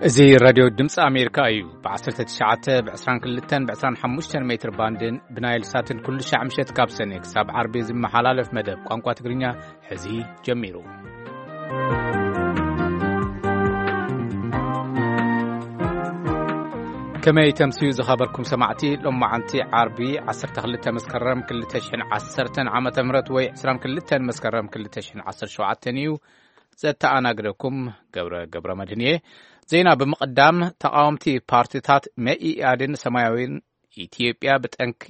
እዚ ራድዮ ድምፂ ኣሜሪካ እዩ። ብ19፣ ብ22፣ ብ25 ሜትር ባንድን ብናይል ሳትን ኩሉ ሻዕ ምሸት ካብ ሰኔ ክሳብ ዓርቢ ዝመሓላለፍ መደብ ቋንቋ ትግርኛ ሕዚ ጀሚሩ። ከመይ ተምስዩ ዝኸበርኩም ሰማዕቲ፣ ሎማዓንቲ ዓርቢ 12 መስከረም 2010 ዓመተ ምህረት ወይ 22 መስከረም 2017 እዩ። ዘተኣናግደኩም ገብረ፣ ገብረ መድህን እየ። ዜና ብምቕዳም፣ ተቓወምቲ ፓርቲታት መኢኣድን ሰማያዊን፣ ኢትዮጵያ ብጠንኪ፣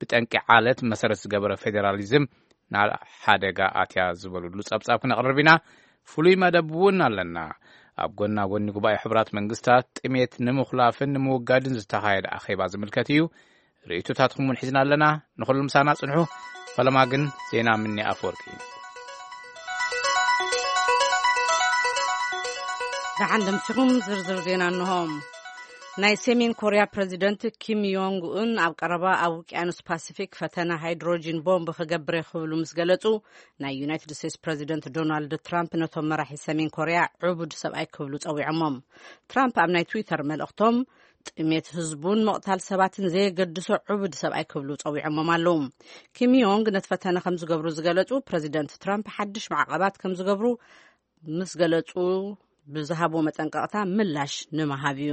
ብጠንቂ ዓለት መሰረት ዝገበረ ፌዴራሊዝም ናብ ሓደጋ ኣትያ ዝበሉሉ ጸብጻብ ክነቕርብ ኢና። ፍሉይ መደብ እውን ኣለና። ኣብ ጎና ጎኒ ጉባኤ ሕቡራት መንግስታት ጥሜት ንምኹላፍን ንምውጋድን ዝተኻየደ ኣኼባ ዝምልከት እዩ። ርእይቶታትኩም እውን ሒዝና ኣለና። ንኹሉ ምሳና ጽንሑ። ፈለማ ግን ዜና ምኒ ኣፈወርቂ። ደሓን ደምሲኹም ዝርዝር ዜና እንሆ። ናይ ሰሜን ኮርያ ፕረዚደንት ኪም ዮንግ ኡን ኣብ ቀረባ ኣብ ውቅያኖስ ፓሲፊክ ፈተነ ሃይድሮጂን ቦምብ ክገብር እየ ክብሉ ምስ ገለጹ፣ ናይ ዩናይትድ ስቴትስ ፕረዚደንት ዶናልድ ትራምፕ ነቶም መራሒ ሰሜን ኮርያ ዕቡድ ሰብኣይ ክብሉ ጸዊዖሞም። ትራምፕ ኣብ ናይ ትዊተር መልእኽቶም፣ ጥሜት ህዝቡን ምቕታል ሰባትን ዘየገድሶ ዕቡድ ሰብኣይ ክብሉ ጸዊዖሞም ኣለዉ። ኪም ዮንግ ነቲ ፈተነ ከም ዝገብሩ ዝገለጹ ፕረዚደንት ትራምፕ ሓድሽ ማዕቐባት ከም ዝገብሩ ምስ ገለጹ ብዝሃቦ መጠንቀቕታ ምላሽ ንምሃብ እዩ።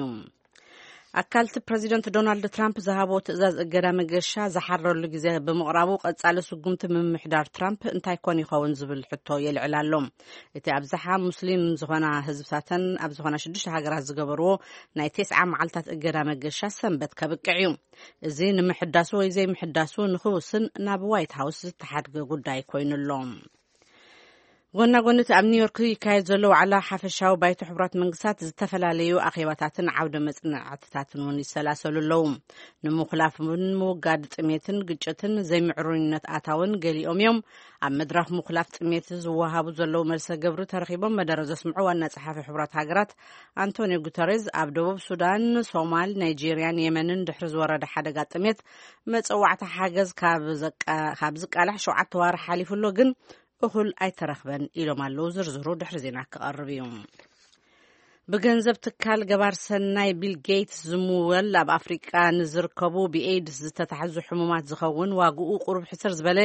ኣካልቲ ፕረዚደንት ዶናልድ ትራምፕ ዝሃቦ ትእዛዝ እገዳ መገሻ ዝሓረሉ ግዜ ብምቕራቡ፣ ቀጻሊ ስጉምቲ ምምሕዳር ትራምፕ እንታይ ኮን ይኸውን ዝብል ሕቶ የልዕል ኣሎ። እቲ ኣብዝሓ ሙስሊም ዝኾና ህዝብታተን ኣብ ዝኾና ሽዱሽተ ሃገራት ዝገበርዎ ናይ ተስዓ መዓልታት እገዳ መገሻ ሰንበት ከብቅዕ እዩ። እዚ ንምሕዳሱ ወይ ዘይምሕዳሱ ንኽውስን ናብ ዋይት ሃውስ ዝተሓድገ ጉዳይ ኮይኑ ኣሎ። ጎና ጎኒ እቲ ኣብ ኒውዮርክ ይካየድ ዘሎ ዋዕላ ሓፈሻዊ ባይቶ ሕቡራት መንግስታት፣ ዝተፈላለዩ ኣኼባታትን ዓውደ መጽናዕትታትን እውን ይሰላሰሉ ኣለዉ። ንምኹላፍን ምውጋድ ጥሜትን ግጭትን ዘይምዕሩይነት ኣታውን ገሊኦም እዮም። ኣብ መድረኽ ምኹላፍ ጥሜት ዝወሃቡ ዘለዉ መልሰ ግብሪ ተረኺቦም መደረ ዘስምዑ ዋና ጸሓፊ ሕቡራት ሃገራት ኣንቶኒዮ ጉተሬዝ፣ ኣብ ደቡብ ሱዳን፣ ሶማል፣ ናይጄርያን የመንን ድሕሪ ዝወረደ ሓደጋ ጥሜት መጸዋዕታ ሓገዝ ካብ ዘቃ-፣ ካብ ዝቃላሕ ሸውዓተ ዋርሕ ሓሊፉ ኣሎ፣ ግን እኹል ኣይተረኽበን ኢሎም ኣለዉ። ዝርዝሩ ድሕሪ ዜና ክቐርብ እዩ። ብገንዘብ ትካል ገባር ሰናይ ቢል ጌትስ ዝምወል፣ ኣብ ኣፍሪቃ ንዝርከቡ ብኤድስ ዝተታሕዙ ሕሙማት ዝኸውን ዋግኡ ቁሩብ ሕስር ዝበለ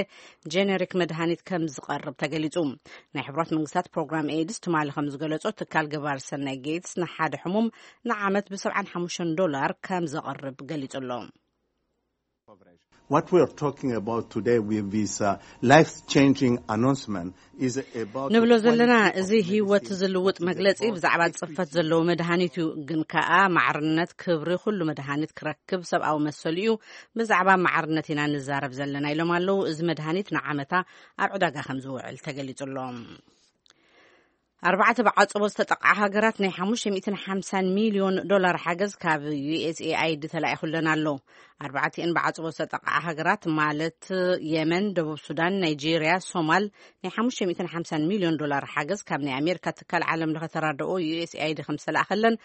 ጄኔሪክ መድሃኒት ከም ዝቐርብ ተገሊጹ። ናይ ሕቡራት መንግስታት ፕሮግራም ኤድስ ትማሊ ከም ዝገለጾ፣ ትካል ገባር ሰናይ ጌትስ ንሓደ ሕሙም ንዓመት ብ75 ዶላር ከም ዘቐርብ ገሊጹ ኣሎ። What we are talking about today with this, uh, life-changing announcement is about ንብሎ ዘለና፣ እዚ ህይወት ዝልውጥ መግለጺ ብዛዕባ ጽፈት ዘለዎ መድሃኒት እዩ። ግን ከኣ ማዕርነት፣ ክብሪ፣ ኩሉ መድሃኒት ክረክብ ሰብኣዊ መሰሉ እዩ። ብዛዕባ ማዕርነት ኢና ንዛረብ ዘለና ኢሎም ኣለዉ። እዚ መድሃኒት ንዓመታ ኣብ ዕዳጋ ከም ዝውዕል ተገሊጹ ኣሎ። ኣርባዕተ ብዓጽቦ ዝተጠቕዓ ሃገራት ናይ 550 ሚልዮን ዶላር ሓገዝ ካብ ዩ ኤስ ኤ ኣይ ዲ ተላኢኹለን ኣሎ። ኣርባዕቲኤን ብዓጽቦ ዝተጠቕዓ ሃገራት፣ ማለት የመን፣ ደቡብ ሱዳን፣ ናይጄርያ፣ ሶማል፣ ናይ 550 ሚልዮን ዶላር ሓገዝ ካብ ናይ ኣሜሪካ ትካል ዓለም ለኸ ተራድኦ ዩ ኤስ ኤ ኣይ ዲ ከም ዝተላእኸለን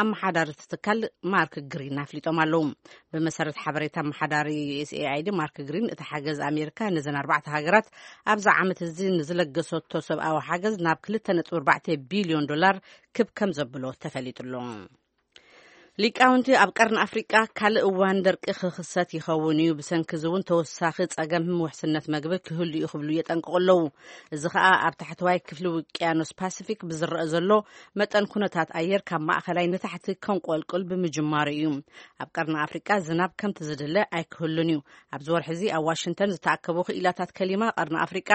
ኣመሓዳሪ እቲ ትካል ማርክ ግሪን ኣፍሊጦም ኣለዉ። ብመሰረት ሓበሬታ ኣመሓዳሪ ዩ ኤስ ኤ ኣይ ዲ ማርክ ግሪን፣ እቲ ሓገዝ ኣሜሪካ ነዘን ኣርባዕተ ሃገራት ኣብዚ ዓመት እዚ ንዝለገሰቶ ሰብኣዊ ሓገዝ ናብ 2.4 ቢልዮን ዶላር ክብ ከም ዘብሎ ተፈሊጡ ኣሎ። ሊቃውንቲ፣ ኣብ ቀርኒ ኣፍሪቃ ካልእ እዋን ደርቂ ክኽሰት ይኸውን እዩ፣ ብሰንኪ እዚ እውን ተወሳኺ ጸገም ውሕስነት መግቢ ክህሉ እዩ ክብሉ የጠንቅቑ ኣለዉ። እዚ ኸኣ ኣብ ታሕተዋይ ክፍሊ ውቅያኖስ ፓሲፊክ ብዝረአ ዘሎ መጠን ኩነታት ኣየር ካብ ማእኸላይ ንታሕቲ ከንቆልቁል ብምጅማሩ እዩ። ኣብ ቀርኒ ኣፍሪቃ ዝናብ ከምቲ ዝድለ ኣይክህሉን እዩ። ኣብዚ ወርሒ እዚ ኣብ ዋሽንግተን ዝተኣከቡ ክኢላታት ከሊማ ቀርኒ ኣፍሪቃ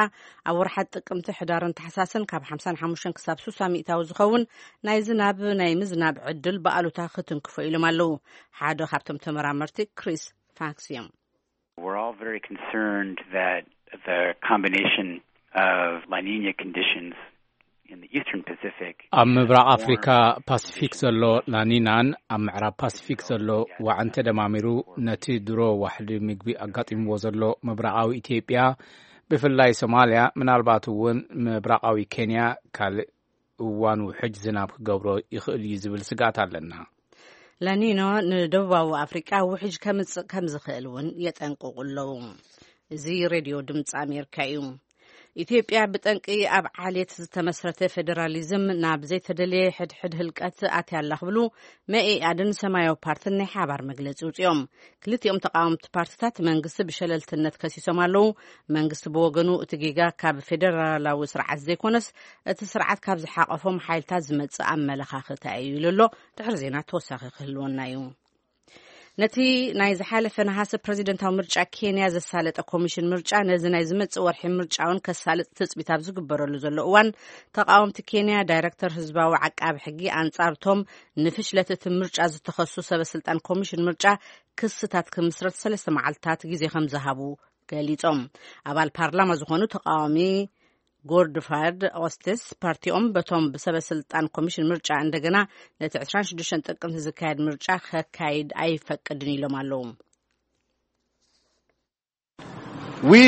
ኣብ ወርሓት ጥቅምቲ፣ ሕዳርን ታሕሳስን ካብ ሓምሳን ሓሙሽተን ክሳብ ስሳ ሚእታዊ ዝኸውን ናይ ዝናብ፣ ናይ ምዝናብ ዕድል ብኣሉታ ክትንክፎ ኢሎም ኣለዉ። ሓደ ካብቶም ተመራመርቲ ክሪስ ፋክስ እዮም። We're all very concerned that the combination of La Niña conditions in the Eastern Pacific ኣብ ምብራቕ ኣፍሪካ ፓሲፊክ ዘሎ ላኒናን ኣብ ምዕራብ ፓሲፊክ ዘሎ ዋዕን ተደማሚሩ፣ ነቲ ድሮ ዋሕዲ ምግቢ ኣጋጢምዎ ዘሎ ምብራቓዊ ኢትዮጵያ፣ ብፍላይ ሶማልያ፣ ምናልባት እውን ምብራቓዊ ኬንያ ካልእ እዋን ውሕጅ ዝናብ ክገብሮ ይኽእል እዩ ዝብል ስግኣት ኣለና። ላኒኖ ንደቡባዊ ኣፍሪቃ ውሕጅ ከምጽእ ከም ዝኽእል እውን የጠንቅቑ ኣለዉ። እዚ ሬድዮ ድምፂ ኣሜሪካ እዩ። ኢትዮጵያ ብጠንቂ ኣብ ዓሌት ዝተመስረተ ፌዴራሊዝም ናብ ዘይተደለየ ሕድሕድ ህልቀት ኣትያ ኣላ ክብሉ መኢኣድን ሰማያዊ ፓርትን ናይ ሓባር መግለጺ ውጽኦም። ክልቲኦም ተቃወምቲ ፓርትታት መንግስቲ ብሸለልትነት ከሲሶም ኣለዉ። መንግስቲ ብወገኑ እቲ ጌጋ ካብ ፌዴራላዊ ስርዓት ዘይኮነስ እቲ ስርዓት ካብ ዝሓቆፎም ሓይልታት ዝመጽእ ኣመለኻኽታ እዩ ኢሉ ኣሎ። ድሕሪ ዜና ተወሳኺ ክህልወና እዩ። ነቲ ናይ ዝሓለፈ ነሃሰ ፕረዚደንታዊ ምርጫ ኬንያ ዘሳለጠ ኮሚሽን ምርጫ ነዚ ናይ ዝመጽእ ወርሒ ምርጫ እውን ከሳልጥ ትጽቢት ኣብ ዝግበረሉ ዘሎ እዋን፣ ተቃወምቲ ኬንያ ዳይረክተር ህዝባዊ ዓቃቢ ሕጊ ኣንጻርቶም ንፍሽለት እቲ ምርጫ ዝተኸሱ ሰበ ስልጣን ኮሚሽን ምርጫ ክስታት ክምስረት ሰለስተ መዓልታት ግዜ ከም ዝሃቡ ገሊጾም። ኣባል ፓርላማ ዝኾኑ ተቃዋሚ ጎድፋርድ ኦስቲስ ፓርቲኦም በቶም ብሰበ ስልጣን ኮሚሽን ምርጫ እንደገና ነቲ ዕስራን ሽዱሽተን ጥቅምቲ ዝካየድ ምርጫ ከካይድ ኣይፈቅድን ኢሎም ኣለዉ። We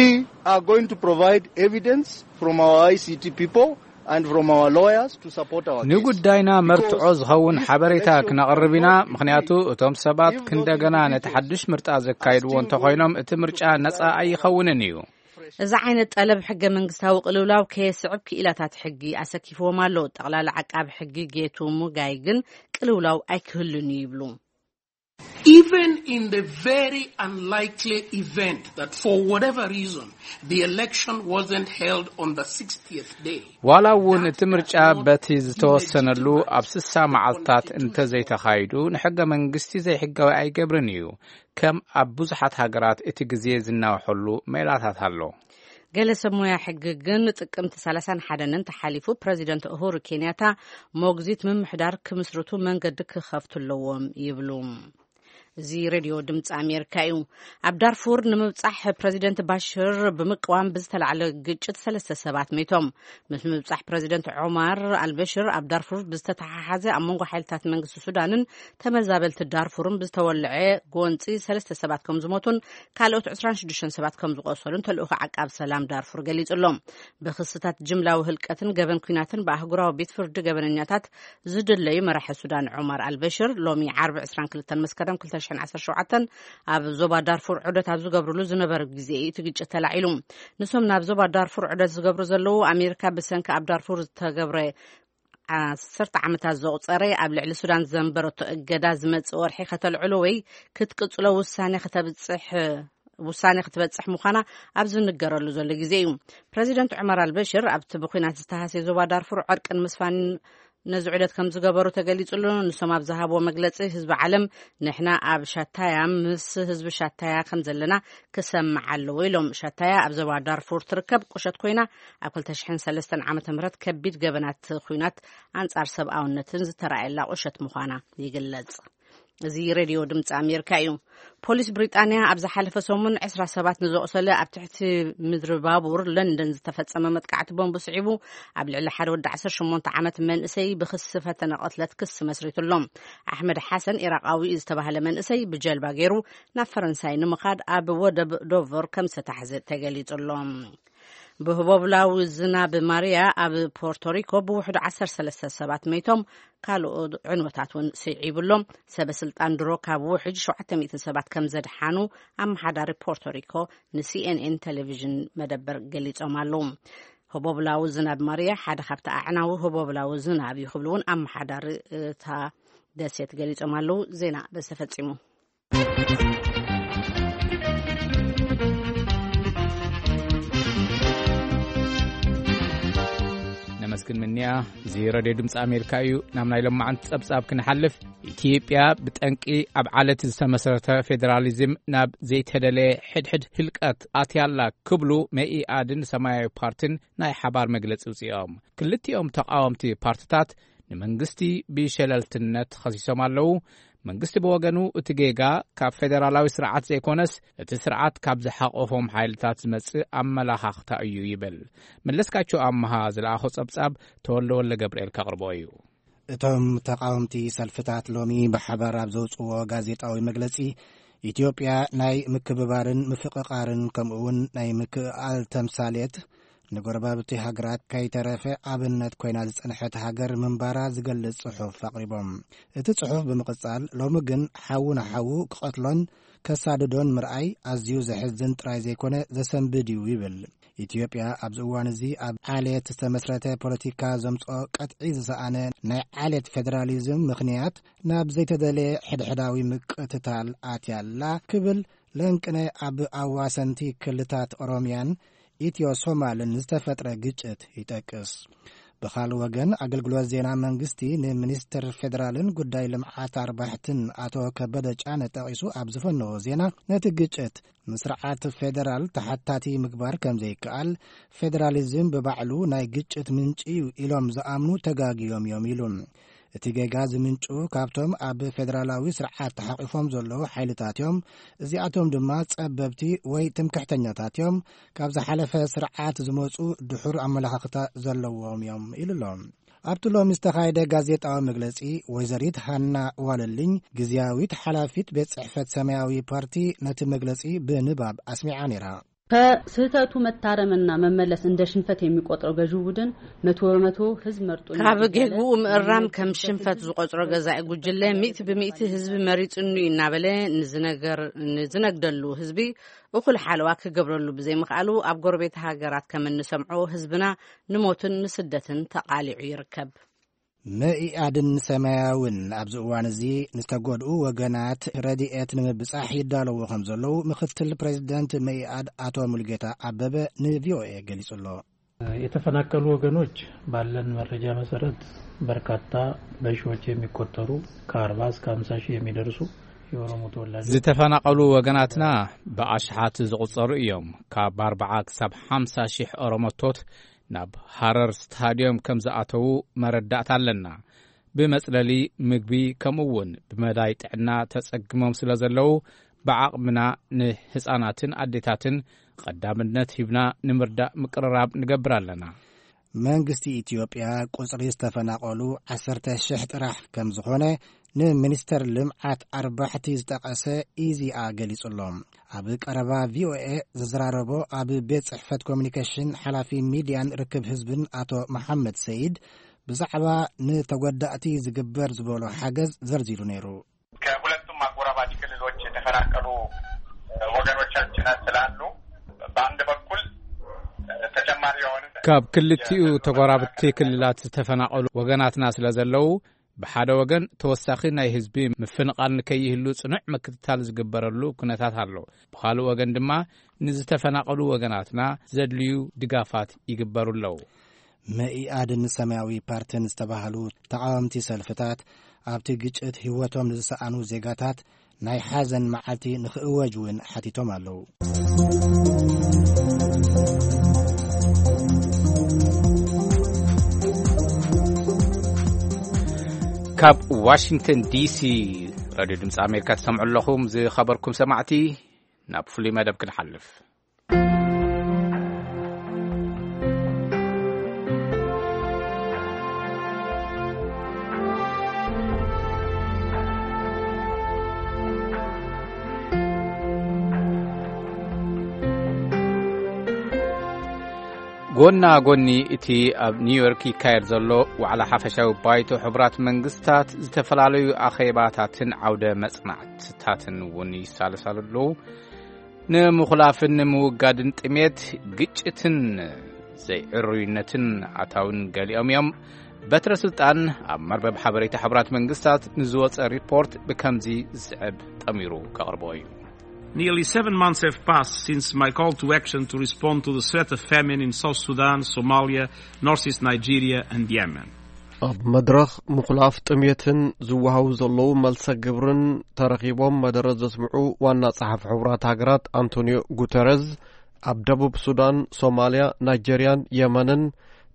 are going to provide evidence from our I C T people and from our lawyers to support our case. ንጉዳይና መርትዖ ዝኸውን ሓበሬታ ክነቕርብ ኢና፣ ምኽንያቱ እቶም ሰባት ክንደገና ነቲ ሓድሽ ምርጫ ዘካይድዎ እንተኾይኖም እቲ ምርጫ ነጻ ኣይኸውንን እዩ። እዚ ዓይነት ጠለብ ሕገ መንግስታዊ ቅልውላው ከየስዕብ ክኢላታት ሕጊ ኣሰኪፍዎም ኣሎ። ጠቕላሊ ዓቃቢ ሕጊ ጌቱ ሙጋይ ግን ቅልውላው ኣይክህሉን እዩ ይብሉ። Even in the very unlikely event that for whatever reason the election wasn't held on the sixtieth day, ዋላ እውን እቲ ምርጫ በቲ ዝተወሰነሉ ኣብ ስሳ መዓልታት እንተዘይተኻይዱ ንሕገ መንግስቲ ዘይሕጋዊ ኣይገብርን እዩ። ከም ኣብ ብዙሓት ሃገራት እቲ ግዜ ዝናውሐሉ ሜላታት ኣሎ። ገለ ሰብ ሞያ ሕጊ ግን ጥቅምቲ ሰላሳን ሓደን እንተሓሊፉ ፕረዚደንት ኡሁሩ ኬንያታ ሞግዚት ምምሕዳር ክምስርቱ መንገዲ ክኸፍቱ ኣለዎም ይብሉ። እዚ ሬድዮ ድምፂ ኣሜሪካ እዩ። ኣብ ዳርፉር ንምብፃሕ ፕረዚደንት ባሽር ብምቅዋም ብዝተላዕለ ግጭት ሰለስተ ሰባት ሜቶም። ምስ ምብፃሕ ፕረዚደንት ዑማር ኣልበሽር ኣብ ዳርፉር ብዝተተሓሓዘ ኣብ መንጎ ሓይልታት መንግስቲ ሱዳንን ተመዛበልቲ ዳርፉርን ብዝተወልዐ ጎንፂ ሰለስተ ሰባት ከም ዝሞቱን ካልኦት ዕስራን ሽዱሽተን ሰባት ከም ዝቆሰሉን ተልእኾ ዓቃብ ሰላም ዳርፉር ገሊጹ ኣሎ። ብክስታት ጅምላዊ ህልቀትን ገበን ኲናትን ብኣህጉራዊ ቤት ፍርዲ ገበነኛታት ዝድለዩ መራሒ ሱዳን ዑማር ኣልበሽር ሎሚ ዓርቢ ዕስራን ክልተን መስከረም ክልተ ሽሕን ዓሰርተ ሸውዓተን ኣብ ዞባ ዳርፉር ዑደት ኣብ ዝገብርሉ ዝነበረ ግዜ እዩ እቲ ግጭት ተላዒሉ። ንሶም ናብ ዞባ ዳርፉር ዑደት ዝገብሩ ዘለዉ ኣሜሪካ ብሰንኪ ኣብ ዳርፉር ዝተገብረ ዓሰርተ ዓመታት ዘቑጸረ ኣብ ልዕሊ ሱዳን ዘንበረቶ እገዳ ዝመጽእ ወርሒ ከተልዕሎ ወይ ክትቅጽሎ ውሳኔ ከተብጽሕ ውሳኔ ክትበጽሕ ምዃና ኣብ ዝንገረሉ ዘሎ ግዜ እዩ። ፕረዚደንት ዑመር ኣልበሽር ኣብቲ ብኲናት ዝተሃስየ ዞባ ዳርፉር ዕርቂ ንምስፋን ነዚ ዑደት ከም ዝገበሩ ተገሊጹ ኣሎ። ንሶም ኣብ ዝሃብዎ መግለጺ ህዝቢ ዓለም ንሕና ኣብ ሻታያ ምስ ህዝቢ ሻታያ ከም ዘለና ክሰምዕ ኣለዎ ኢሎም። ሻታያ ኣብ ዞባ ዳርፉር ትርከብ ቁሸት ኮይና ኣብ ክልተ ሽሕን ሰለስተን ዓመተ ምህረት ከቢድ ገበናት ኲናት ኣንጻር ሰብኣውነትን ዝተራእየላ ቁሸት ምዃና ይግለጽ። እዚ ሬድዮ ድምፂ ኣሜሪካ እዩ። ፖሊስ ብሪጣንያ ኣብ ዝሓለፈ ሰሙን ዕስራ ሰባት ንዘቑሰለ ኣብ ትሕቲ ምድሪ ባቡር ለንደን ዝተፈጸመ መጥቃዕቲ ቦምብ ስዒቡ ኣብ ልዕሊ ሓደ ወዲ ዓሰርተ ሸሞንተ ዓመት መንእሰይ ብክሲ ፈተነ ቅትለት ክሲ መስሪቱ ኣሎ። ኣሕመድ ሓሰን ኢራቃዊ ዝተባህለ መንእሰይ ብጀልባ ገይሩ ናብ ፈረንሳይ ንምኻድ ኣብ ወደብ ዶቨር ከም ዝተታሕዘ ተገሊጹ ኣሎ። ብህቦብላዊ ዝናብ ማርያ ኣብ ፖርቶሪኮ ብውሕዱ ዓሰርተ ሰለስተ ሰባት መይቶም ካልኦት ዕንወታት እውን ስዒቡ ኣሎ። ሰበ ስልጣን ድሮ ካብ ውሕጅ ሸውዓተ ሚእቲ ሰባት ከም ዘድሓኑ ኣመሓዳሪ ፖርቶሪኮ ንሲኤንኤን ቴሌቪዥን መደበር ገሊጾም ኣለዉ። ህቦብላዊ ዝናብ ማርያ ሓደ ካብቲ ኣዕናዊ ህቦብላዊ ዝናብ እዩ ክብሉ እውን ኣመሓዳሪ እታ ደሴት ገሊጾም ኣለዉ። ዜና በዚ ተፈጺሙ። ነመስግን ምንያ። እዚ ረድዮ ድምፂ ኣሜሪካ እዩ። ናብ ናይ ሎማዓንቲ ፀብፃብ ክንሓልፍ፣ ኢትዮጵያ ብጠንቂ ኣብ ዓለት ዝተመሰረተ ፌዴራሊዝም ናብ ዘይተደለየ ሕድሕድ ህልቀት ኣትያላ ክብሉ መኢኣድን ሰማያዊ ፓርቲን ናይ ሓባር መግለፂ ውፅኦም። ክልቲኦም ተቃወምቲ ፓርቲታት ንመንግስቲ ብሸለልትነት ኸሲሶም ኣለዉ። መንግስቲ ብወገኑ እቲ ጌጋ ካብ ፌደራላዊ ስርዓት ዘይኮነስ እቲ ስርዓት ካብ ዝሓቆፎም ሓይልታት ዝመጽእ ኣመላኻኽታ እዩ ይብል። መለስካቸው ኣመሃ ዝለኣኾ ጸብጻብ ተወልደ ወልደ ገብርኤል ከቕርቦ እዩ። እቶም ተቃወምቲ ሰልፍታት ሎሚ ብሓባር ኣብ ዘውጽዎ ጋዜጣዊ መግለጺ ኢትዮጵያ ናይ ምክብባርን ምፍቕቓርን ከምኡ እውን ናይ ምክእኣል ተምሳሌት ንጎረባብቲ ሃገራት ከይተረፈ ኣብነት ኮይና ዝጸንሐት ሃገር ምንባራ ዝገልጽ ጽሑፍ ኣቕሪቦም። እቲ ጽሑፍ ብምቕጻል፣ ሎሚ ግን ሓዉ ንሓዉ ክቐትሎን ከሳድዶን ምርኣይ ኣዝዩ ዘሕዝን ጥራይ ዘይኮነ ዘሰንብድ እዩ ይብል። ኢትዮጵያ ኣብዚ እዋን እዚ ኣብ ዓሌት ዝተመስረተ ፖለቲካ ዘምጽኦ ቀጥዒ ዝሰኣነ ናይ ዓሌት ፌደራሊዝም ምኽንያት ናብ ዘይተደለየ ሕድሕዳዊ ምቅትታል ኣትያ ኣላ ክብል ለንቅነ ኣብ ኣዋሰንቲ ክልታት ኦሮሚያን ኢትዮ ሶማልን ዝተፈጥረ ግጭት ይጠቅስ። ብኻልእ ወገን ኣገልግሎት ዜና መንግስቲ ንሚኒስትር ፌደራልን ጉዳይ ልምዓት ኣርባሕትን ኣቶ ከበደ ጫነ ጠቒሱ ኣብ ዝፈነዎ ዜና ነቲ ግጭት ንስርዓት ፌደራል ተሓታቲ ምግባር ከም ዘይከኣል፣ ፌደራሊዝም ብባዕሉ ናይ ግጭት ምንጪ እዩ ኢሎም ዝኣምኑ ተጋግዮም እዮም ኢሉ። እቲ ጌጋ ዝምንጩ ካብቶም ኣብ ፌደራላዊ ስርዓት ተሓቒፎም ዘለዉ ሓይልታት እዮም። እዚኣቶም ድማ ጸበብቲ ወይ ትምክሕተኛታት እዮም። ካብ ዝሓለፈ ስርዓት ዝመጹ ድሑር ኣመለኻኽታ ዘለዎም እዮም ኢሉ ኣሎ። ኣብቲ ሎሚ ዝተኻየደ ጋዜጣዊ መግለጺ፣ ወይዘሪት ሃና ዋለልኝ፣ ግዝያዊት ሓላፊት ቤት ጽሕፈት ሰማያዊ ፓርቲ፣ ነቲ መግለጺ ብንባብ ኣስሚዓ ነይራ። ከስህተቱ መታረምና መመለስ እንደ ሽንፈት የሚቆጥረው ገዢው ቡድን መቶ በመቶ ህዝብ መርጦ ካብ ጌግኡ ምእራም ከም ሽንፈት ዝቆጽሮ ገዛኢ ጉጅለ፣ ሚእቲ ብሚእቲ ህዝቢ መሪጹኒ እናበለ ንዝነገር-፣ ንዝነግደሉ ህዝቢ እኹል ሓለዋ ክገብረሉ ብዘይምኽኣሉ፣ ኣብ ጎረቤት ሃገራት ከም እንሰምዖ ህዝብና ንሞትን ንስደትን ተቓሊዑ ይርከብ። መኢኣድን ሰማያውን ኣብዚ እዋን እዚ ንዝተጎድኡ ወገናት ረድኤት ንምብጻሕ ይዳለዉ ከም ዘለዉ ምክትል ፕሬዚደንት መኢኣድ ኣቶ ሙሉጌታ ኣበበ ንቪኦኤ ገሊጹ ኣሎ። የተፈናቀሉ ወገኖች ባለን መረጃ መሰረት በርካታ በሺዎች የሚቆጠሩ ከ40 እስከ 50 ሺህ የሚደርሱ የኦሮሞ ተወላጆች ዝተፈናቐሉ ወገናትና ብኣሽሓት ዝቑጸሩ እዮም። ካብ ኣርባዓ ክሳብ ሓምሳ ሺሕ ኦሮሞቶት ናብ ሃረር ስታድዮም ከም ዝኣተዉ መረዳእታ ኣለና። ብመጽለሊ፣ ምግቢ፣ ከምኡ እውን ብመዳይ ጥዕና ተጸግሞም ስለ ዘለዉ፣ ብዓቕምና ንህጻናትን ኣዴታትን ቀዳምነት ሂብና ንምርዳእ ምቅርራብ ንገብር ኣለና። መንግስቲ ኢትዮጵያ ቁጽሪ ዝተፈናቐሉ ዓሰርተ ሽሕ ጥራሕ ከም ዝኾነ ንሚኒስተር ልምዓት ኣርባሕቲ ዝጠቐሰ ኢዜኣ ገሊጹ ኣሎ። ኣብ ቀረባ ቪኦኤ ዝዘራረቦ ኣብ ቤት ጽሕፈት ኮሚኒኬሽን ሓላፊ ሚድያን ርክብ ህዝብን ኣቶ መሓመድ ሰይድ ብዛዕባ ንተጎዳእቲ ዝግበር ዝበሎ ሓገዝ ዘርዚሩ ነይሩ። ከሁለቱም አጎራባች ክልሎች የተፈናቀሉ ወገኖቻችን ስላሉ በአንድ በኩል ተጨማሪ የሆነ ካብ ክልቲኡ ተጎራብቲ ክልላት ዝተፈናቐሉ ወገናትና ስለ ዘለዉ ብሓደ ወገን ተወሳኺ ናይ ህዝቢ ምፍንቓል ንከይህሉ ጽኑዕ ምክትታል ዝግበረሉ ኩነታት ኣሎ። ብኻልእ ወገን ድማ ንዝተፈናቐሉ ወገናትና ዘድልዩ ድጋፋት ይግበሩ ኣለዉ። መኢኣድን ሰማያዊ ፓርትን ዝተባህሉ ተቓወምቲ ሰልፍታት ኣብቲ ግጭት ህይወቶም ንዝሰኣኑ ዜጋታት ናይ ሓዘን መዓልቲ ንኽእወጅ እውን ሓቲቶም ኣለዉ። ካብ ዋሽንግተን ዲሲ ራድዮ ድምፂ ኣሜሪካ ትሰምዑ ኣለኹም። ዝኸበርኩም ሰማዕቲ፣ ናብ ፍሉይ መደብ ክንሓልፍ። ጎና ጎኒ እቲ ኣብ ኒውዮርክ ይካየድ ዘሎ ዋዕላ ሓፈሻዊ ባይቶ ሕቡራት መንግስታት፣ ዝተፈላለዩ ኣኼባታትን ዓውደ መጽናዕትታትን እውን ይሳለሳሉ ኣለዉ። ንምኹላፍን ንምውጋድን ጥሜት፣ ግጭትን ዘይዕሩይነትን ኣታውን ገሊኦም እዮም። በትረ ስልጣን ኣብ መርበብ ሓበሬታ ሕቡራት መንግስታት ንዝወጸ ሪፖርት ብከምዚ ዝስዕብ ጠሚሩ ከቕርቦ እዩ። Nearly seven months have passed since my call to action to respond to the threat of famine in South Sudan, Somalia, northeast Nigeria, and Yemen. ኣብ መድረኽ ምኹላፍ ጥሜትን ዝወሃቡ ዘለዉ መልሰ ግብርን ተረኺቦም መደረ ዘስምዑ ዋና ጸሓፊ ሕቡራት ሃገራት ኣንቶኒዮ ጉተረዝ፣ ኣብ ደቡብ ሱዳን፣ ሶማልያ፣ ናይጀርያን የመንን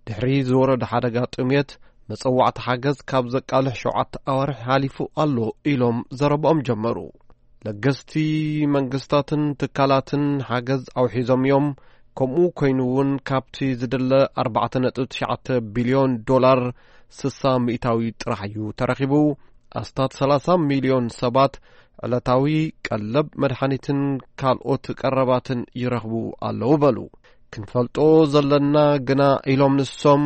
ድሕሪ ዝወረደ ሓደጋ ጥሜት መጸዋዕቲ ሓገዝ ካብ ዘቃልሕ ሸውዓተ ኣዋርሕ ሓሊፉ ኣሎ ኢሎም ዘረባኦም ጀመሩ። ለገስቲ መንግስታትን ትካላትን ሓገዝ ኣውሒዞም እዮም። ከምኡ ኮይኑ እውን ካብቲ ዝድለ ኣርባዕተ ነጥቢ ትሽዓተ ቢልዮን ዶላር ስሳ ሚእታዊ ጥራሕ እዩ ተረኺቡ። ኣስታት ሰላሳ ሚልዮን ሰባት ዕለታዊ ቀለብ፣ መድሓኒትን ካልኦት ቀረባትን ይረኽቡ ኣለዉ በሉ። ክንፈልጦ ዘለና ግና ኢሎም ንሶም።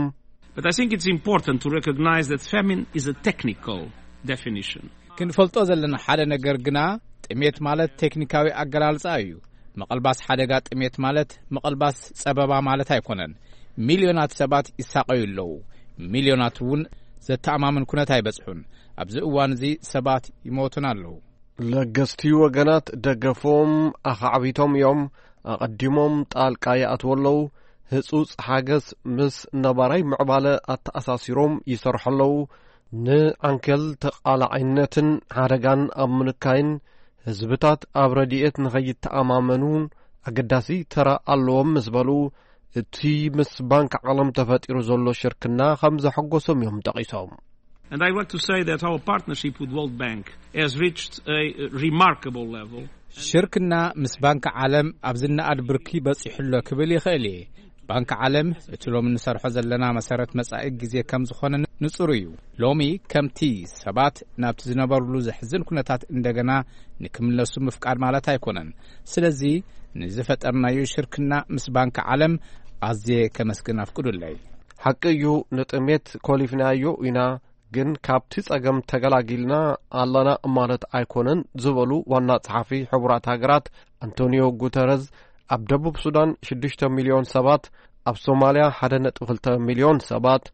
But I think it's important to recognize that famine is a technical definition. ክንፈልጦ ዘለና ሓደ ነገር ግና ጥሜት ማለት ቴክኒካዊ ኣገላልጻ እዩ። ምቕልባስ ሓደጋ ጥሜት ማለት ምቕልባስ ጸበባ ማለት ኣይኮነን። ሚልዮናት ሰባት ይሳቐዩ ኣለዉ። ሚልዮናት እውን ዘተኣማምን ኩነት ኣይበጽሑን። ኣብዚ እዋን እዚ ሰባት ይሞቱን ኣለዉ። ለገስቲ ወገናት ደገፎም ኣኻዕቢቶም እዮም። ኣቐዲሞም ጣልቃ ይኣትዉ ኣለዉ። ህጹጽ ሓገዝ ምስ ነባራይ ምዕባለ ኣተኣሳሲሮም ይሰርሑ ኣለዉ። ንዓንኬል ተቓላዓይነትን ሓደጋን ኣብ ምንካይን ህዝብታት ኣብ ረድኤት ንኸይተኣማመኑን ኣገዳሲ ተራ ኣለዎም ምስ በሉ፣ እቲ ምስ ባንክ ዓለም ተፈጢሩ ዘሎ ሽርክና ከም ዘሐጎሶም እዮም ጠቒሶም። And I want to say that our partnership with World Bank has reached a remarkable level. ሽርክና ምስ ባንክ ዓለም ኣብ ዝነኣድ ብርኪ በጺሑ ኣሎ ክብል ይኽእል እየ። ባንክ ዓለም እቲ ሎሚ ንሰርሖ ዘለና መሰረት መጻኢ ግዜ ከም ዝኾነ ንጹር እዩ። ሎሚ ከምቲ ሰባት ናብቲ ዝነበሩሉ ዘሕዝን ኩነታት እንደገና ንክምለሱ ምፍቃድ ማለት ኣይኮነን። ስለዚ ንዝፈጠርናዮ ሽርክና ምስ ባንክ ዓለም ኣዝየ ከመስግን ኣፍቅዱለይ። ሓቂ እዩ፣ ንጥሜት ኮሊፍናዮ ኢና፣ ግን ካብቲ ጸገም ተገላጊልና ኣለና ማለት ኣይኮነን ዝበሉ ዋና ጸሓፊ ሕቡራት ሃገራት ኣንቶኒዮ ጉተረዝ፣ ኣብ ደቡብ ሱዳን ሽዱሽተ ሚልዮን ሰባት፣ ኣብ ሶማልያ ሓደ ነጥቢ ክልተ ሚልዮን ሰባት፣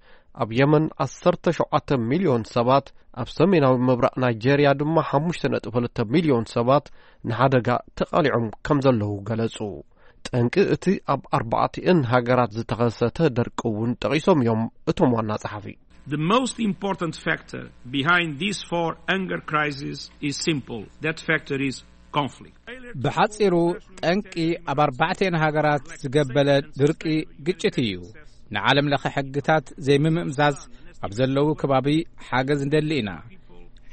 ኣብ የመን ዓሰርተ ሸውዓተ ሚልዮን ሰባት፣ ኣብ ሰሜናዊ ምብራቕ ናይጄርያ ድማ ሓሙሽተ ነጥቢ ክልተ ሚልዮን ሰባት ንሓደጋ ተቓሊዖም ከም ዘለዉ ገለጹ። ጠንቂ እቲ ኣብ ኣርባዕቲኤን ሃገራት ዝተኸሰተ ደርቂ እውን ጠቒሶም እዮም እቶም ዋና ጸሓፊ። The most important factor behind these four hunger crises is simple. That factor is conflict. ብሓጺሩ፣ ጠንቂ ኣብ ኣርባዕቲኤን ሃገራት ዝገበለ ድርቂ ግጭት እዩ። ንዓለም ለኸ ሕግታት ዘይምምእዛዝ ኣብ ዘለዉ ከባቢ ሓገዝ ንደሊ ኢና።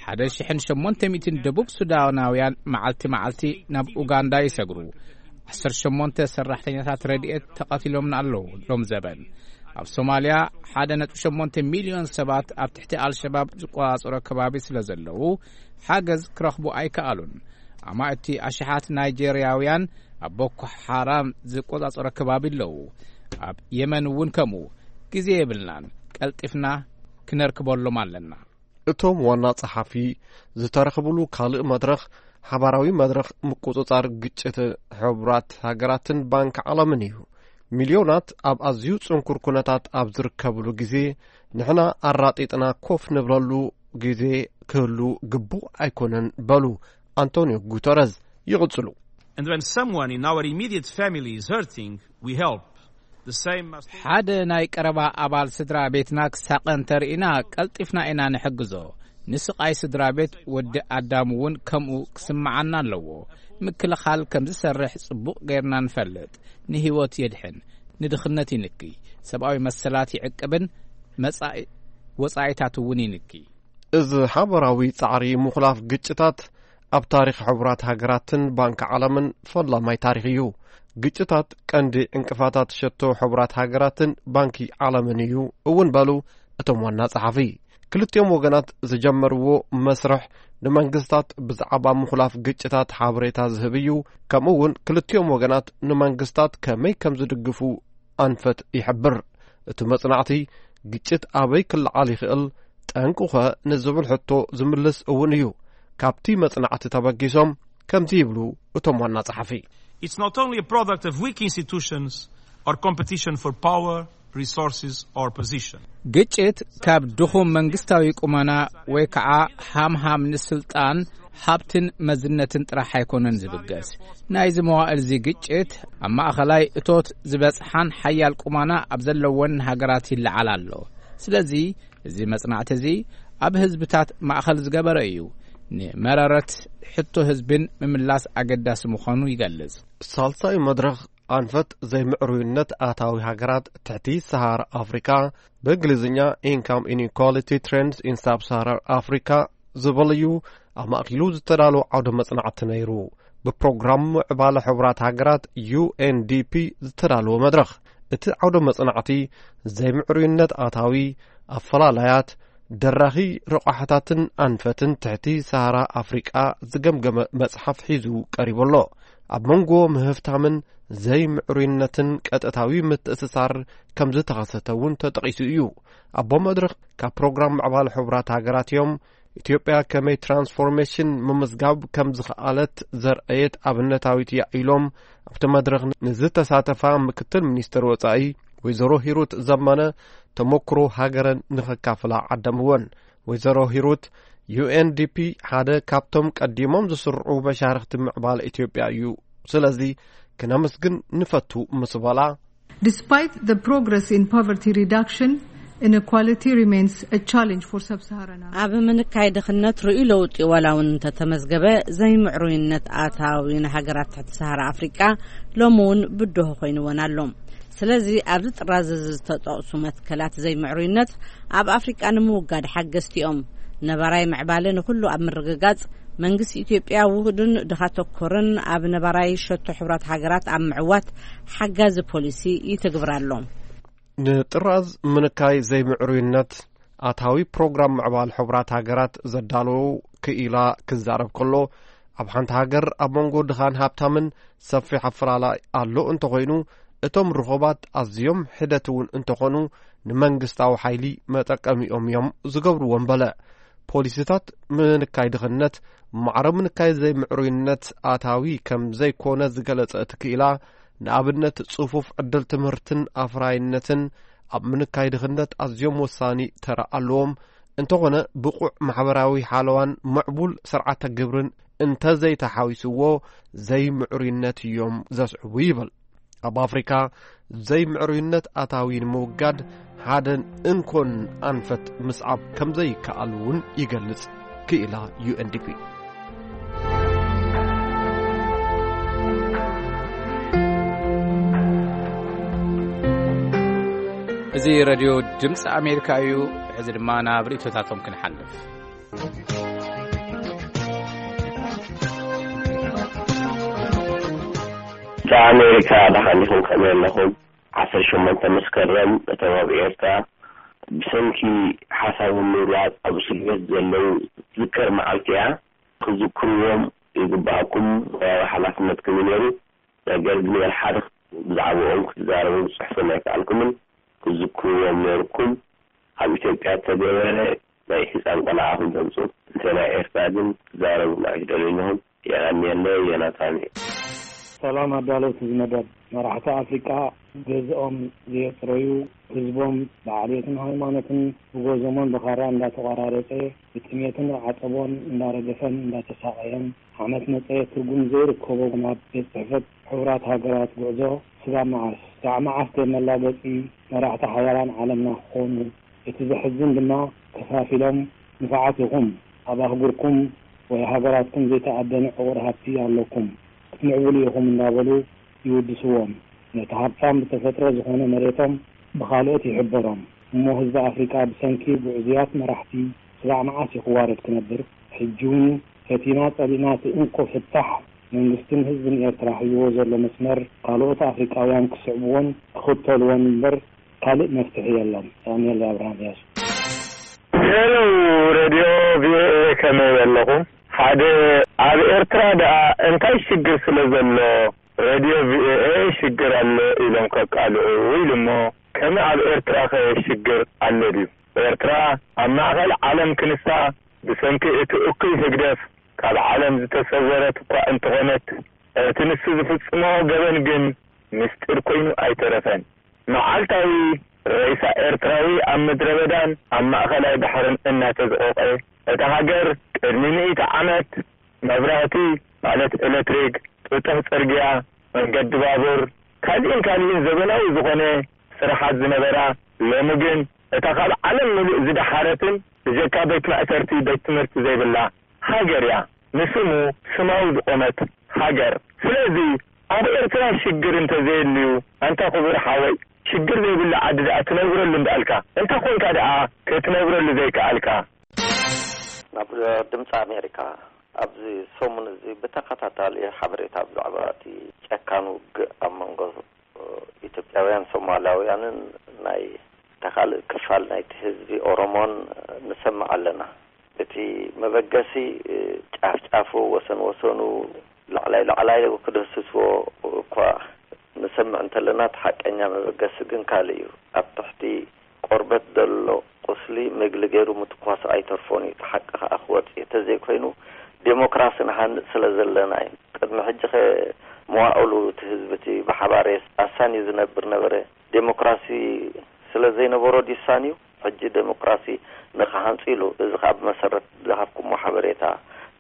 ሓደ ሽሕን ሸሞንተ ሚእትን ደቡብ ሱዳናውያን መዓልቲ መዓልቲ ናብ ኡጋንዳ ይሰግሩ። ዓሰርተ ሸሞንተ ሰራሕተኛታት ረድኤት ተቐቲሎምና ኣለዉ ሎም ዘበን። ኣብ ሶማልያ ሓደ ነጥቢ ሸሞንተ ሚልዮን ሰባት ኣብ ትሕቲ ኣልሸባብ ዝቆጻጸሮ ከባቢ ስለ ዘለዉ፣ ሓገዝ ክረኽቡ ኣይከኣሉን። ኣማእቲ ኣሽሓት ናይጄርያውያን ኣብ ቦኮ ሓራም ዝቆጻጸሮ ከባቢ ኣለዉ። ኣብ የመን እውን ከምኡ። ግዜ የብልናን፣ ቀልጢፍና ክነርክበሎም ኣለና። እቶም ዋና ጸሓፊ ዝተረኽብሉ ካልእ መድረኽ፣ ሓባራዊ መድረኽ ምቁጽጻር ግጭት ሕቡራት ሃገራትን ባንክ ዓለምን እዩ። ሚልዮናት ኣብ ኣዝዩ ጽንኩር ኩነታት ኣብ ዝርከብሉ ግዜ፣ ንሕና ኣራጢጥና ኮፍ ንብለሉ ግዜ ክህሉ ግቡእ ኣይኮነን በሉ ኣንቶኒዮ ጉተረዝ። ይቕጽሉ። And when someone in our immediate family is hurting, we help. The same must ሓደ ናይ ቀረባ ኣባል ስድራ ቤትና ክሳቐ እንተርኢና፣ ቀልጢፍና ኢና ንሕግዞ። ንስቓይ ስድራ ቤት ወዲ ኣዳም እውን ከምኡ ክስምዓና ኣለዎ። ምክልኻል ከም ዝሰርሕ ጽቡቕ ጌርና ንፈልጥ። ንህይወት የድሕን፣ ንድኽነት ይንኪ፣ ሰብኣዊ መሰላት ይዕቅብን መጻኢ ወጻኢታት እውን ይንኪ። እዚ ሓበራዊ ጻዕሪ ምኹላፍ ግጭታት ኣብ ታሪኽ ሕቡራት ሃገራትን ባንክ ዓለምን ፈላማይ ታሪኽ እዩ። ግጭታት ቀንዲ ዕንቅፋታት ሸቶ ሕቡራት ሃገራትን ባንኪ ዓለምን እዩ እውን በሉ እቶም ዋና ጸሓፊ። ክልቲኦም ወገናት ዝጀመርዎ መስርሕ ንመንግስታት ብዛዕባ ምኹላፍ ግጭታት ሓበሬታ ዝህብ እዩ። ከምኡ እውን ክልቲኦም ወገናት ንመንግስታት ከመይ ከም ዝድግፉ ኣንፈት ይሕብር። እቲ መጽናዕቲ ግጭት ኣበይ ክለዓል ይኽእል፣ ጠንቁኸ ንዝብል ሕቶ ዝምልስ እውን እዩ። ካብቲ መጽናዕቲ ተበጊሶም ከምዚ ይብሉ እቶም ዋና ጸሓፊ። It's not only a product of weak institutions or competition for power, resources or position. ግጭት ካብ ድኹም መንግስታዊ ቁመና ወይ ከዓ ሃምሃም ንስልጣን፣ ሃብትን መዝነትን ጥራሕ ኣይኮነን ዝብገስ። ናይዚ መዋእል እዚ ግጭት ኣብ ማእኸላይ እቶት ዝበጽሓን ሓያል ቁመና ኣብ ዘለወን ሃገራት ይለዓል ኣሎ። ስለዚ እዚ መጽናዕቲ እዚ ኣብ ህዝብታት ማእኸል ዝገበረ እዩ። ንመረረት ሕቶ ህዝብን ምምላስ ኣገዳሲ ምዃኑ ይገልጽ። ሳልሳይ መድረኽ ኣንፈት ዘይምዕሩይነት ኣታዊ ሃገራት ትሕቲ ሰሃራ ኣፍሪካ፣ ብእንግሊዝኛ Income Inequality Trends in Sub-Saharan Africa ዝብል እዩ። ኣማእኪሉ ዝተዳለወ ዓውደ መጽናዕቲ ነይሩ። ብፕሮግራም ምዕባለ ሕቡራት ሃገራት ዩ ኤን ዲ ፒ ዝተዳለወ መድረኽ። እቲ ዓውደ መጽናዕቲ ዘይምዕሩይነት ኣታዊ፣ ኣፈላላያት፣ ደራኺ ረቋሕታትን ኣንፈትን ትሕቲ ሰሃራ ኣፍሪቃ ዝገምገመ መጽሓፍ ሒዙ ቀሪቡ ኣሎ። ኣብ መንጎ ምህፍታምን ዘይምዕሩይነትን ቀጥታዊ ምትእስሳር ከም ዝተኸሰተ እውን ተጠቒሱ እዩ። ኣቦ መድረኽ ካብ ፕሮግራም ምዕባለ ሕቡራት ሃገራት እዮም። ኢትዮጵያ ከመይ ትራንስፎርሜሽን ምምዝጋብ ከም ዝኸኣለት ዘርአየት ኣብነታዊት እያ ኢሎም ኣብቲ መድረኽ ንዝተሳተፋ ምክትል ሚኒስትር ወጻኢ ወይዘሮ ሂሩት ዘመነ ተመክሮ ሃገረን ንኸካፍላ ዓደምወን። ወይዘሮ ሂሩት፣ ዩ ኤን ዲ ፒ ሓደ ካብቶም ቀዲሞም ዝስርዑ መሻርኽቲ ምዕባለ ኢትዮጵያ እዩ። ስለዚ ክነመስግን ንፈቱ ምስ በላ፣ Despite the progress in poverty reduction, inequality remains a challenge for sub-Saharan Africa. ኣብ ምንካይ ድኽነት ርእዩ ለውጢ ዋላ እውን እንተተመዝገበ፣ ዘይምዕሩይነት ኣታዊ ንሃገራት ትሕቲ ሰሃራ ኣፍሪቃ ሎሚ እውን ብድሆ ኮይንወን ኣሎ። ስለዚ ኣብዚ ጥራዝ እዚ ዝተጠቕሱ መትከላት ዘይምዕሩይነት ኣብ ኣፍሪቃ ንምውጋድ ሓገዝቲ እዮም። ነባራይ ምዕባለ ንኹሉ ኣብ ምርግጋጽ መንግስቲ ኢትዮጵያ ውሁድን ድኻ ተኮርን ኣብ ነባራይ ሸቶ ሕቡራት ሃገራት ኣብ ምዕዋት ሓጋዚ ፖሊሲ ይትግብር ኣሎ። ንጥራዝ ምንካይ ዘይምዕሩይነት ኣታዊ ፕሮግራም ምዕባል ሕቡራት ሃገራት ዘዳለዉ ክኢላ ክዛረብ ከሎ፣ ኣብ ሓንቲ ሃገር ኣብ መንጎ ድኻን ሃብታምን ሰፊሕ ኣፈላላይ ኣሎ እንተኾይኑ፣ እቶም ርኹባት ኣዝዮም ሕደት እውን እንተኾኑ፣ ንመንግስታዊ ሓይሊ መጠቀሚኦም እዮም ዝገብርዎም በለ። ፖሊሲታት ምንካይ ድኽነት፣ ማዕረ ምንካይ ዘይምዕሩይነት ኣታዊ ከም ዘይኮነ ዝገለጸ እቲ ክኢላ፣ ንኣብነት ጽፉፍ ዕድል ትምህርትን ኣፍራይነትን ኣብ ምንካይ ድኽነት ኣዝዮም ወሳኒ ተራ ኣለዎም። እንተኾነ ብቑዕ ማሕበራዊ ሓለዋን ምዕቡል ስርዓተ ግብርን እንተዘይተሓዊስዎ ዘይምዕሩይነት እዮም ዘስዕቡ ይብል። ኣብ ኣፍሪካ ዘይምዕሩይነት ኣታዊ ንምውጋድ ሓደን እንኮን ኣንፈት ምስዓብ ከምዘይከኣል እውን ይገልጽ ክኢላ ዩ ኤን ዲ ፒ። እዚ ሬድዮ ድምፂ ኣሜሪካ እዩ። ሕዚ ድማ ናብ ርእይቶታቶም ክንሓልፍ። ኣሜሪካ ደሓን ኢኹም ከመይ ኣለኹም? ዓሰርተ ሸሞንተ መስከረም እቶም ኣብ ኤርትራ ብሰንኪ ሓሳቦም ምግላጽ ኣብ እስር ቤት ዘለዉ ትዝከር መዓልቲ እያ። ክዝክርዎም ይግባኣኩም፣ ሞያዊ ሓላፍነትኩም እዩ ነይሩ። ነገር ግን ወላ ሓደ ብዛዕባኦም ክትዛረቡ ክትጽሕፉን ኣይከኣልኩምን። ክዝክርዎም ነይርኩም። ኣብ ኢትዮጵያ እተገበረ ናይ ህጻን ቆልዓ ክገልጹ፣ እንተ ናይ ኤርትራ ግን ክትዛረቡ ኣይትደልዩን ኢኹም። የቐንየለይ፣ ዮናታን እዩ። ሰላም ኣዳለውቲ እዚ መደብ። መራሕቲ ኣፍሪቃ ገዝኦም ዘየጽረዩ፣ ህዝቦም ብዓሌትን ሃይማኖትን ብጎዞሞን ብኻራ እንዳተቆራረጸ፣ ብጥሜትን ዓጸቦን እንዳረገፈን እንዳተሳቐየን፣ ዓመት መጸ ትርጉም ዘይርከቦ ናብ ቤት ጽሕፈት ሕቡራት ሃገራት ጉዕዞ ስጋብ መዓስ? ስጋዕ መዓስ ደም መላገጺ መራሕቲ ሓያላን ዓለምና ክኾኑ? እቲ ዘሕዝን ድማ፣ ከፋፊሎም ንፉዓት ኢኹም፣ ኣብ ኣህጉርኩም ወይ ሃገራትኩም ዘይተኣደነ ዕቑር ሃብቲ ኣለኩም፣ ክትምዕብሉ ኢኹም እንዳበሉ ይውድስዎም። ነቲ ሃብታም ብተፈጥሮ ዝኾነ መሬቶም ብኻልኦት ይሕበሮም። እሞ ህዝቢ ኣፍሪቃ ብሰንኪ ግዑዝያት መራሕቲ ስጋዕ መዓስ እዩ ክዋረድ ክነብር? ሕጂ እውን ፈቲና ጸሊእና እቲ እንኮ ፍታሕ መንግስትን ህዝብን ኤርትራ ሒዝዎ ዘሎ መስመር ካልኦት ኣፍሪቃውያን ክስዕብዎን ክኽተልዎን እምበር ካልእ መፍትሒ የለን። ዳንኤል ኣብርሃም እያሱ። ሄሎ ሬድዮ ቪኦኤ፣ ከመይ ኣለኹም? ሓደ፣ ኣብ ኤርትራ ደኣ እንታይ ሽግር ስለ ዘሎ ሬድዮ ቪኦኤ ሽግር ኣሎ ኢሎም ከቃልዑ ኢሉ እሞ፣ ከመይ ኣብ ኤርትራኸ ሽግር ኣሎ ድዩ? ኤርትራ ኣብ ማእከል ዓለም ክንሳ ብሰንኪ እቲ እኩይ ህግደፍ ካብ ዓለም ዝተሰወረት እኳ እንተኾነት፣ እቲ ንሱ ዝፍጽሞ ገበን ግን ምስጢር ኮይኑ ኣይተረፈን። መዓልታዊ ሬሳ ኤርትራዊ ኣብ ምድረ በዳን ኣብ ማእከላይ ባሕርን እናተዝቖቐ፣ እታ ሃገር ቅድሚ ሚእቲ ዓመት መብራህቲ፣ ማለት ኤሌክትሪክ፣ ጥጡሕ ጽርግያ፣ መንገዲ ባቡር፣ ካልእን ካልእን ዘበናዊ ዝኾነ ስራሓት ዝነበራ፣ ሎሚ ግን እታ ካብ ዓለም ምሉእ ዝደሓረትን ብጀካ ቤት ማእሰርቲ ቤት ትምህርቲ ዘይብላ ሃገር እያ። ንስሙ ስማዊ ዝቖመት ሃገር። ስለዚ ኣብ ኤርትራ ሽግር እንተዘየልዩ፣ ኣንታ ክቡር ሓወይ፣ ሽግር ዘይብሉ ዓዲ ደኣ ትነብረሉ እንዳኣልካ፣ እንታይ ኮንካ ደኣ ክትነብረሉ ዘይከኣልካ? ናብ ድምፂ ኣሜሪካ፣ ኣብዚ ሰሙን እዚ ብተኸታታሊ ሓበሬታ ብዛዕባ እቲ ጨካን ውግእ ኣብ መንጎ ኢትዮጵያውያን ሶማላውያንን ናይ ተኻልእ ክፋል ናይቲ ህዝቢ ኦሮሞን ንሰምዕ ኣለና። እቲ መበገሲ ጫፍ ጫፉ፣ ወሰን ወሰኑ፣ ላዕላይ ላዕላይ ክድህስስዎ እኳ ንሰምዕ እንተለና፣ እቲ ሓቀኛ መበገሲ ግን ካልእ እዩ። ኣብ ትሕቲ ቆርበት ዘሎ ቁስሊ ምግሊ ገይሩ ምትኳስ ኣይተርፎን እዩ። እቲ ሓቂ ከኣ ክወጽእ እዩ። እንተዘይኮይኑ፣ ዴሞክራሲ ንሃንጽ ስለ ዘለና እዩ። ቅድሚ ሕጂ ከ መዋእሉ እቲ ህዝቢ እቲ ብሓባር ኣሳንዩ ዝነብር ነበረ። ዴሞክራሲ ስለ ዘይነበሮ ድዩ ኣሳንዩ? ሕጂ ዴሞክራሲ ንኽሃንጽ ኢሉ። እዚ ከኣ ብመሰረት ዝሃብኩሞ ሓበሬታ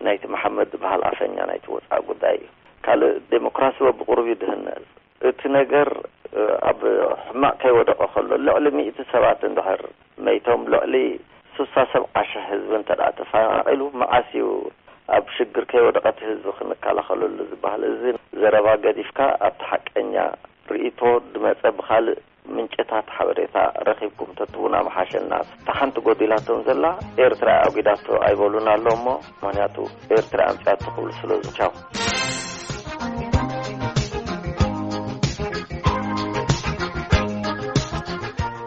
ናይቲ መሓመድ ዝበሃል ኣፈኛ ናይቲ ወጻኢ ጉዳይ እዩ። ካልእ ዴሞክራሲ በብቑሩብ እዩ ድህነጽ። እቲ ነገር፣ እ፣ ኣብ ሕማቕ ከይወደቐ ከሎ፣ ልዕሊ ሚእቲ ሰባት እንድሕር መይቶም፣ ልዕሊ ሱሳ ሰብዓ ሽሕ ህዝቢ እንተ ደኣ ተፈናቒሉ፣ መዓስ እዩ ኣብ ሽግር ከይወደቐ እቲ ህዝቢ ክንከላኸለሉ ዝበሃል? እዚ ዘረባ ገዲፍካ፣ ኣብቲ ሓቀኛ ርእይቶ ድመጸ ብኻልእ ምንጭታት ሓበሬታ ረኺብኩም ተትቡና ምሓሸና። እታ ሓንቲ ጎዲላቶም ዘላ፣ ኤርትራ ኣጒዳቶ ኣይበሉን ኣሎ እሞ፣ ምኽንያቱ ኤርትራ ኣምጺኣቶ ክብሉ ስለ ዝቻው።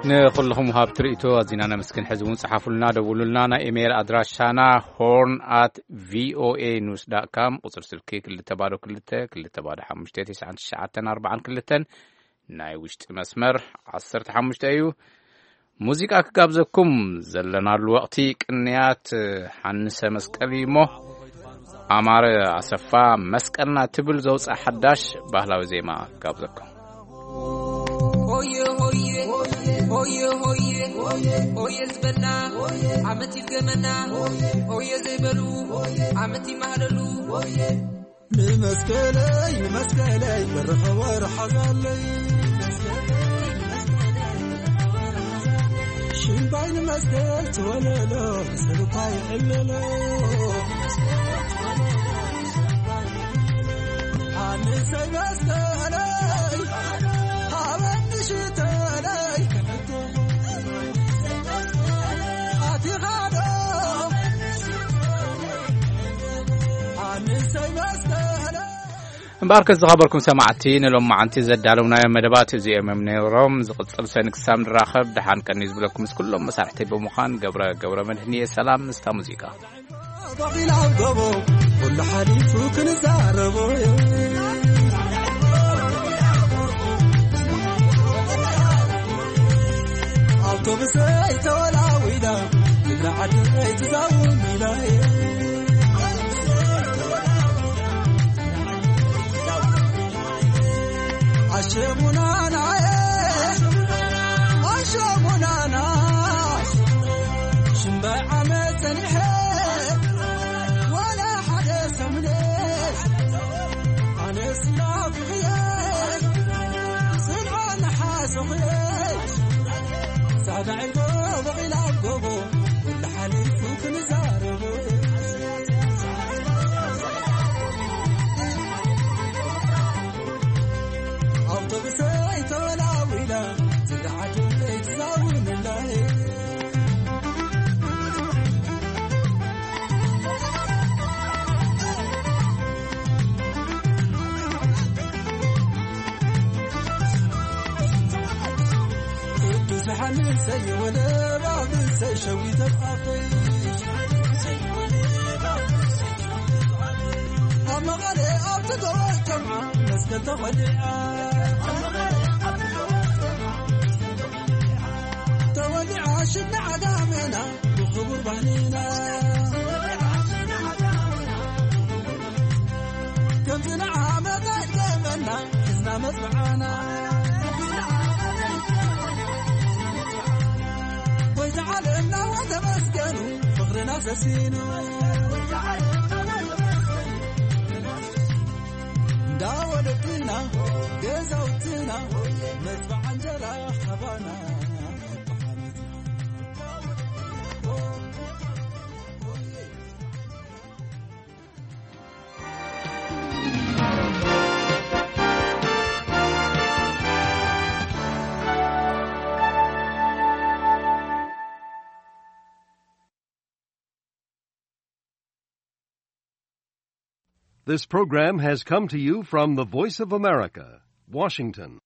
ንኹልኹም ወሃብቲ ርእይቶ ኣዚና ነመስግን። ሕዚ እውን ጸሓፉልና፣ ደውሉልና። ናይ ኢሜይል ኣድራሻና ሆርን ኣት ቪኦኤ ኒውስ ዳት ካም፣ ቁጽሪ ስልኪ ክልተ ባዶ ክልተ፣ ክልተ ባዶ ሓሙሽተ፣ ትሽዓን ትሽዓተን ኣርባዓን ክልተን፣ ናይ ውሽጢ መስመር ዓሰርተ ሓሙሽተ እዩ። ሙዚቃ ክጋብዘኩም ዘለናሉ ወቕቲ ቅንያት ሓንሰ መስቀል እዩ እሞ፣ ኣማረ ኣሰፋ፣ መስቀልና ትብል ዘውፅኣ ሓዳሽ ባህላዊ ዜማ ክጋብዘኩም። ሆየ ሆየ ሆየ ሆየ ሆየ ዝበልና ዓመት ይድገመና። ሆየ ዘይበሉ ዓመት ይማህለሉ። ንመስቀለይ ንመስቀለይ በርኸ ወርሓዛለይ። ሽምባይ ንመስቀል ትወለሎ፣ ሰብኳ ይዕለሎ። ኣንሰይ መስቀለይ፣ ሃበኒ ሽተለይ፣ ኣቲኻ ዶ? ኣንሰይ መስቀለይ። እምበኣርከስ ዝኸበርኩም ሰማዕቲ፣ ንሎማዓንቲ ዘዳለውናዮ መደባት እዚኦም እዮም ነይሮም። ዝቕጽል ሰኒ ክሳብ ንራኸብ፣ ደሓን ቀኒ ዝብለኩም ምስ ኩሎም መሳርሕተይ ብምዃን፣ ገብረ፣ ገብረ መድህን እየ። ሰላም ምስታ ሙዚቃ። በቒላ ኣብ ጎቦ፣ ኩሉ ሓሊፉ ክንዛረቦ። ኣውቶቡሰይ ተወላዊላ፣ ትግራይ ዓደይ ትዛውር ኢላ። ኣሸሙናናየ፣ ኣሸሙናና፣ ሽምባይ ዓመት ጸኒሐ፣ ዋላ ሓደ ሰሙነ፣ ኣነስ ናፊቕየ፣ ስምዖ ንሓሰኹየ። ጻዕዳ ዒልቦ በቒላ ኣብ ጎቦ፣ ኩሉ ሓሊፉ ክንዛረቦ። ኣውቶቡሰይ ተወላዊላ፣ ዝለዓዱ ትዛውንላይ። ቅዱስ ዮሓንሰይ ወለባብሰይ ሸዊተ ኣፈይ። ኣብ መቐለ ኣብቲ ጎቦ ጀምዓ መስቀል ተኸሊዓ። ተወሊዓ ሽድና ዓጋሜና ብኽቡር ባህልና። ከምዚ ንዓመታ ይድገመና ሒዝና መጽብዓና። ጎይታ ዓለምና ወተመስገኑ ፍቕርና ሰሲኑ። እንዳ ወለድና ገዛውትና መጽብዓ እንጀራ ካባና። This program has come to you from the Voice of America, Washington.